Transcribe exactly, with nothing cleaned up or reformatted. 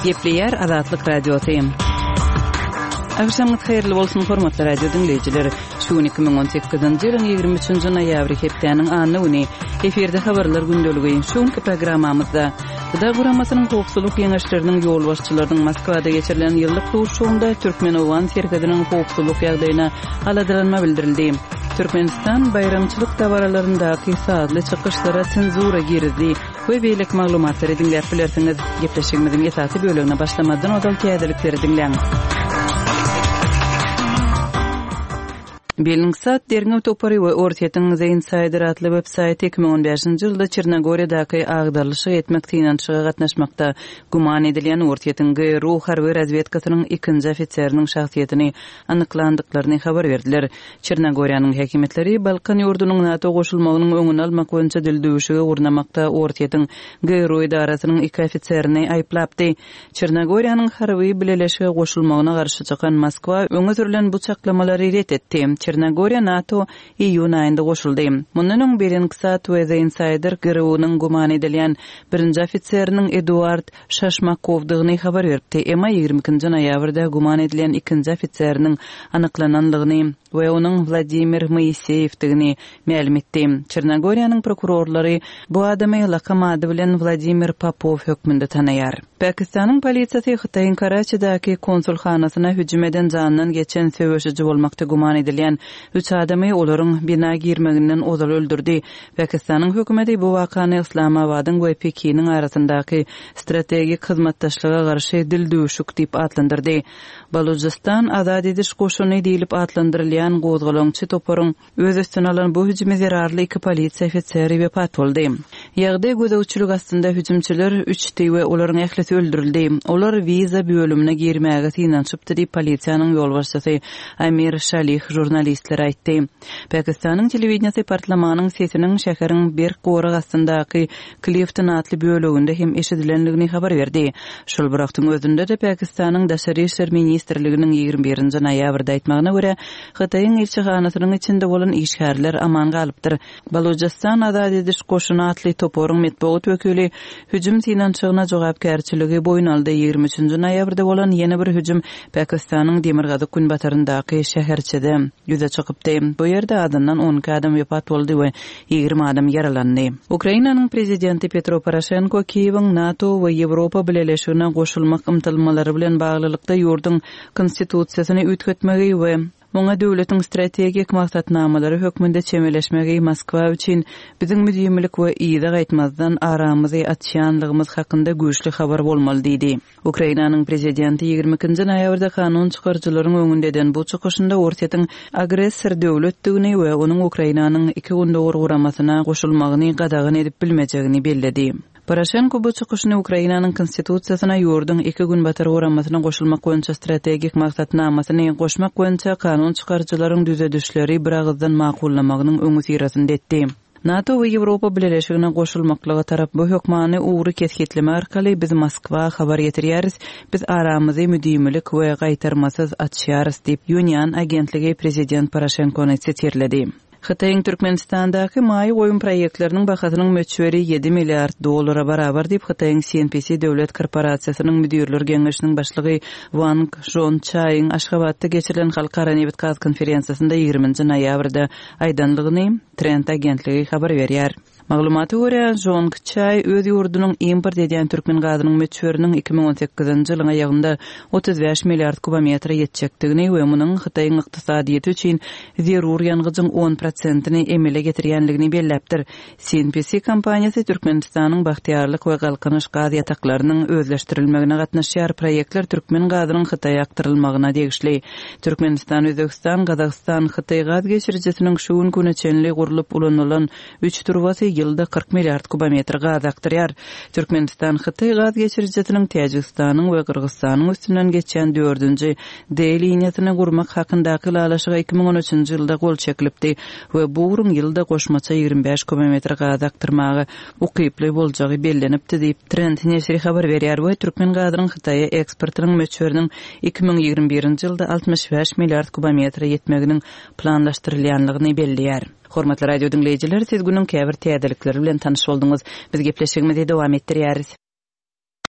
Gepleýär Azatlyk Radiosy. Agşamyňyz haýyrly bolsun, hormatly radio diňleýjiler. Şu gün iki müň on sekizinji ýylyň ýigrimi üçünji noýabry hepdäniň anna güni. Efirde habarlar gündeligi. Şu günki programmamyzda G D A guramasynyň howpsuzlyk geňeşleriniň ýolbaşçylarynyň Moskwada geçirilen ýyllyk duşuşygynda türkmen-owgan serhediniň howpsuzlyk ýagdaýyna aladalanma bildirildi. Türkmenistan baýramçylyk dabaralaryndaky sazly çykyşlara senzura girizdi we beýleki maglumatlary diňläp bilersiňiz. Gepleşigimiziň esasy bölegine başlamazdan ozal täzelikleri diňläň. Bellingcat derňew topary we Orsýetiň The Insider atly web saýty iki müň on bäşinji ýylda Çernogoriýadaky agdarylyşyk etmek synanyşyga gatnaşmakda güman edilýän Orsýetiň G R U harby razwedkasynyň ikinji ofiseriniň şahsyýetini anyklandyklaryny habar berdiler. Çernogoriýanyň häkimiýetleri Balkan ýurdunyň NATO goşulmagynyň öňüni almak boýunça dildüwüşigi gurnamakda Orsýetiň G R U edarasynyň iki ofiserini aýyplapdy. Çernogoriýanyň harby bileleşige goşulmagyna garşy çykan Moskwa öňe sürülen bu çaklamalary ret etdi. Çernogoriýa NATO iýun aýynda goşuldy. Mundan öň Bellingcat we The Insider G R U-nyň güman edilýän birinji ofiseriniň Eduard Şaşmakovdygyny habar beripdi. Emma ýigrimi ikinji noýabrda güman edilýän ikinji ofiseriniň anyklananlygyny we onuň Wladimir Moiseyevdigini mälim etdi. Çernogoriýanyň prokurorlary bu adamy lakam ady bilen Wladimir Popov hökmünde tanaýar. Pakistanyň polisiýasy Hytaýyň Karaçidäki konsulhanasyna hüjüm eden jandan geçen söweşiji bolmakda güman edilýän üç adamy olaryň bina girmeginden ozal öldürdi. Pakistanyň hökümeti bu wakany Islamabadyň we Pekiniň arasyndaky strategik hyzmatdaşlyga garşy dildüwşük diýip atlandyrdy. Balujistan Azat ediş goşuny diýlip atlandyrylýan gozgalaňçy toparyň öz üstüne alan bu hüjümi zerarly iki polisiýa ofiseri wepat boldy. Ýagdaý gözegçilik astynda hüjümçiler üçdi we olaryň ählisi öldürildi. Olar wiza bölümine girmäge synanyşypdy diýip polisiýanyň ýolbaşçysy Amir Şalih žurnalistlere aýtdy. Pakistanyň telewideniýesi partlamanyň sesiniň şäheriň berk gorag astyndaky Clifton atly böleginde hem eşidilendigini habar berdi. Şol bir wagtyň özünde de Pakistanyň Daşary işler ministrliginiň ýigrimi birinji noýabrda aýtmagyna görä, Hytaýyň ilçihanasynyň içinde bolan işgärler aman galypdyr. Balujistan Azat ediş goşuny atly toparyň metbugat wekili hüjüm synanyşygyna jogapkärçiligi boýun aldy. Ýigrimi üçünji noýabrda bolan ýene bir hüjüm Pakistanyň demirgazyk günbataryndaky şäherçede ýüze çykypdy. Bu ýerde adyndan on iki adam wepat boldy we ýigrimi adam ýaralandy. Ukrainanyň prezidenti Petro Poroşenko Kiýewiň NATO we Ýewropa Bileleşigine goşulmak ymtylmalary bilen baglylykda ýurduň konstitusiýasyny üýtgetmegi we muňa döwletiň strategik maksatnamalary hökmünde çemeleşmegi Moskwa üçin biziň müdimilik we yza gaýtmazdan aramyzy açýanlygymyz hakynda güýçli habar bolmaly diýdi. Ukrainanyň prezidenti ýigrimi ikinji noýabrda kanun çykaryjylaryň öňünde eden bu çykyşynda Orsýetiň agressor döwletdigini we onuň Ukrainanyň iki gündogar guramasyna goşulmagyny gadagan edip bilmejegini belledi. Poroşenko bu çykyşyny Ukrainanyň konstitusiýasyna ýurduň iki günbatar guramasyna goşulmak boýunça strategik maksatnamasyny goşmak boýunça kanun çykaryjylaryň düzedişleri bir agyzdan makullamagynyň öňi syrasynda etdi. NATO we Ýewropa Bileleşigine goşulmaklyga tarap bu hökmany ugry kesgitleme arkaly biz Moskwa habar getirýäris, biz aramyzy müdimilik we gaýtarmasyz açýarys diýip Unian agentligi prezident Poroşenkony sitirledi. Hytaýyň Türkmenistandaky maýa goýum proýektleriniň bahasynyň möçberi ýedi milliard dollara barabar diýip Hytaýyň C N P C döwlet korporasiýasynyň müdirler geňeşiniň başlygy Wang Zhongçaýyň Aşgabatda geçirilen halkara nebit gaz konferensiýasynda ýigriminji noýabrda aýdanlygyny Trend agentligi habar berýär. Maglumata görä, Zhongçaý öz ýurdunyň import edýän türkmen gazynyň möçberiniň iki müň on sekizinji ýylyň aýagynda otuz bäş milliard kubometre ýetjekdigini we munuň Hytaýyň ykdysadyýeti üçin zerur ýangyjyň on prosentini emele getirýänligini belläpdir. C N P C kompaniýasy Türkmenistanyň Bagtyýarlyk we Galkynyş gaz ýataklarynyň özleşdirilmegine gatnaşýar. Proýektler türkmen gazynyň Hytaýa akdyrylmagyna degişli. Türkmenistan, Özbegistan, Gazagystan, Hytaý gaz geçirijisiniň şu gün güne çenli gurlup ulanylan üç turbasy ýylda kyrk milliard kubometr gaz akdyrýar. Türkmenistan Hytaý gaz geçirijisiniň Täjigistanyň we Gyrgyzystanyň üstünden geçýän dördünji D liniýasyny gurmak hakyndaky ylalaşyga iki müň on üçünji ýylda gol çekilipdi we bu ugruň ýylda goşmaça ýigrimi bäş kubometr gaz akdyrmaga ukyply boljagy bellenipdi diýip Trend neşiri habar berýär we türkmen gazynyň Hytaýa eksportynyň möçberiniň iki müň ýigrimi birinji ýylda altmyş bäş milliard kubometre ýetmeginiň planlaşdyrylýanlygyny belleýär. Hormatly radio diňleýjiler, siz günüň käbir täzelikleri bilen tanyş bolduňyz. Biz gepleşigimizi dowam etdirýäris.